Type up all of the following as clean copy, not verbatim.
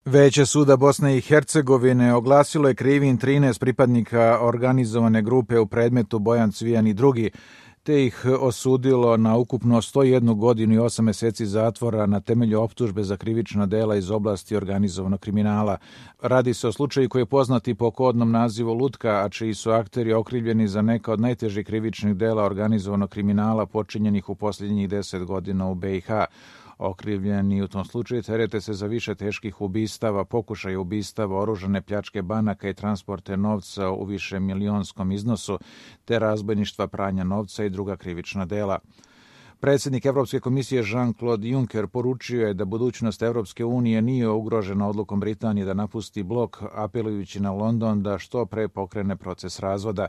Veće suda Bosne i Hercegovine oglasilo je krivim 13 pripadnika organizovane grupe u predmetu Bojan Cvijan i drugi, te ih osudilo na ukupno 101 godinu i 8 meseci zatvora na temelju optužbe za krivična dela iz oblasti organizovanog kriminala. Radi se o slučaju koji je poznati po kodnom nazivu Lutka, a čiji su akteri okrivljeni za neka od najtežih krivičnih dela organizovanog kriminala počinjenih u posljednjih 10 godina u BiH. Okrivljeni u tom slučaju terete se za više teških ubistava, pokušaja ubistava, oružane pljačke banaka i transporte novca u više milionskom iznosu, te razbojništva, pranja novca i druga krivična dela. Predsjednik Evropske komisije Jean-Claude Juncker poručio je da budućnost Evropske unije nije ugrožena odlukom Britanije da napusti blok, apelujući na London da što pre pokrene proces razvoda.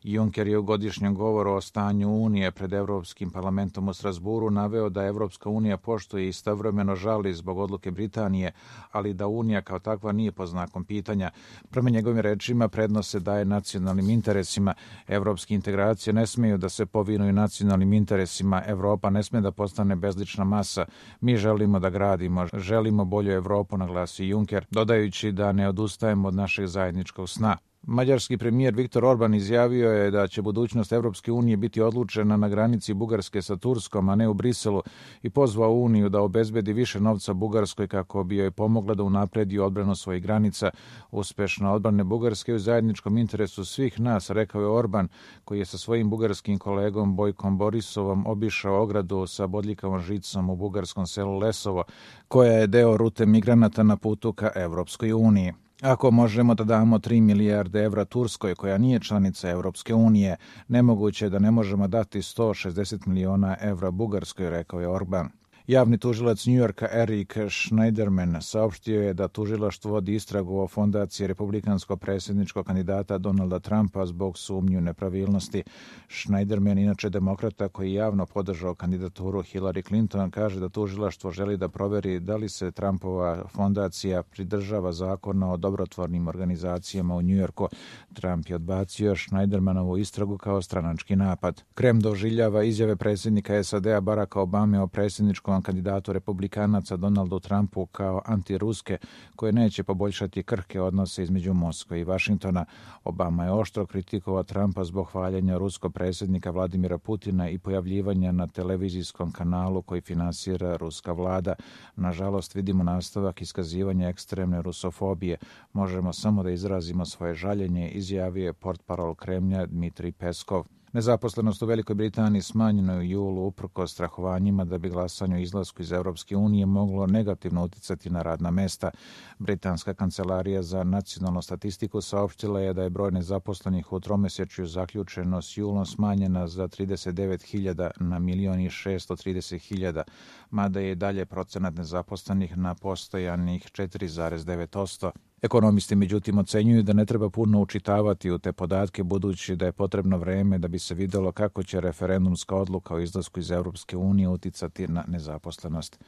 Juncker je u godišnjem govoru o stanju Unije pred Evropskim parlamentom u Strasburu naveo da Evropska unija poštuje i istovremeno žali zbog odluke Britanije, ali da Unija kao takva nije pod znakom pitanja. Prema njegovim rečima, prednost se daje nacionalnim interesima. Evropske integracije ne smeju da se povinuju nacionalnim interesima. Evropa ne sme da postane bezlična masa. Mi želimo da gradimo, želimo bolju Evropu, naglasi Juncker, dodajući da ne odustajemo od našeg zajedničkog sna. Mađarski premijer Viktor Orban izjavio je da će budućnost Evropske unije biti odlučena na granici Bugarske sa Turskom, a ne u Briselu, i pozvao Uniju da obezbedi više novca Bugarskoj kako bi joj pomogla da unapredi odbranu svojih granica. Uspešna odbrane Bugarske u zajedničkom interesu svih nas, rekao je Orban, koji je sa svojim bugarskim kolegom Bojkom Borisovom obišao ogradu sa bodljikavom žicom u bugarskom selu Lesovo, koja je deo rute migranata na putu ka Evropskoj uniji. Ako možemo da damo 3 milijarde evra Turskoj, koja nije članica Evropske unije, nemoguće je da ne možemo dati 160 miliona evra Bugarskoj, rekao je Orban. Javni tužilac Njujorka Erik Schneiderman saopštio je da tužilaštvo vodi istragu o fondaciji republikanskog predsjedničkog kandidata Donalda Trumpa zbog sumnju nepravilnosti. Schneiderman, inače demokrata koji javno podržao kandidaturu Hillary Clinton, kaže da tužilaštvo želi da proveri da li se Trumpova fondacija pridržava zakona o dobrotvornim organizacijama u Njujorku. Trump je odbacio Schneidermanovu istragu kao stranački napad. Krem doživljava izjave predsjednika SAD-a Baracka Obame o predsjedničkom kandidatu republikanaca Donaldu Trumpu kao antiruske, koje neće poboljšati krhke odnose između Moskve i Vašingtona. Obama je oštro kritikovao Trumpa zbog hvaljenja ruskog predsjednika Vladimira Putina i pojavljivanja na televizijskom kanalu koji finansira ruska vlada. Nažalost, vidimo nastavak iskazivanja ekstremne rusofobije. Možemo samo da izrazimo svoje žaljenje, izjavio je portparol Kremlja Dmitrij Peskov. Nezaposlenost u Velikoj Britaniji smanjena je u julu uprkos strahovanjima da bi glasanje o izlasku iz Evropske unije moglo negativno uticati na radna mesta. Britanska kancelarija za nacionalnu statistiku saopštila je da je broj nezaposlenih u tromesečju zaključeno s julom smanjena za 39.000 na 1.630.000, mada je dalje procenat nezaposlenih na postojanih 4,9%. Ekonomisti međutim ocenjuju da ne treba puno učitavati u te podatke, budući da je potrebno vreme da bi se videlo kako će referendumska odluka o izlasku iz Evropske unije uticati na nezaposlenost.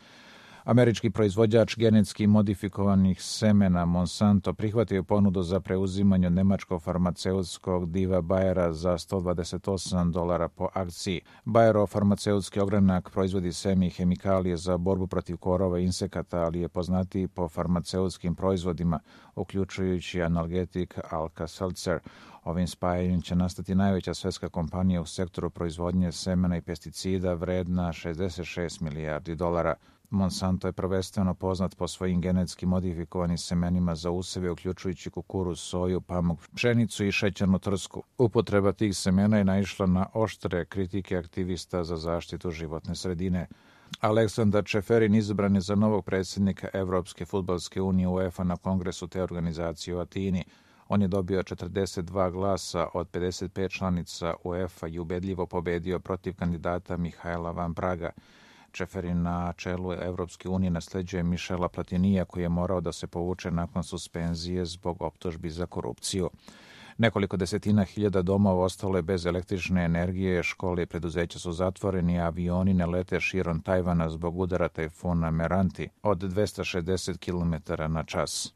Američki proizvođač genetski modifikovanih semena Monsanto prihvatio ponudu za preuzimanje od nemačkog farmaceutskog diva Bayera za $128 po akciji. Bayerov farmaceutski ogranak proizvodi seme i hemikalije za borbu protiv korova i insekata, ali je poznatiji po farmaceutskim proizvodima, uključujući analgetik Alka-Seltzer. Ovim spajanjem će nastati najveća svetska kompanija u sektoru proizvodnje semena i pesticida vredna $66 milijardi. Monsanto je prvenstveno poznat po svojim genetski modifikovanim semenima za useve, uključujući kukuruz, soju, pamuk, pšenicu i šećernu trsku. Upotreba tih semena je naišla na oštre kritike aktivista za zaštitu životne sredine. Aleksandar Čeferin izabran je za novog predsjednika Evropske fudbalske unije UEFA na kongresu te organizacije u Atini. On je dobio 42 glasa od 55 članica UEFA i ubedljivo pobedio protiv kandidata Mihajla Van Praga. Čeferin na čelu Evropske unije nasleđuje Mišela Platinija, koji je morao da se povuče nakon suspenzije zbog optužbi za korupciju. Nekoliko desetina hiljada domova ostalo je bez električne energije, škole i preduzeća su zatvoreni, a avioni ne lete širom Tajvana zbog udara tajfuna Meranti od 260 km na čas.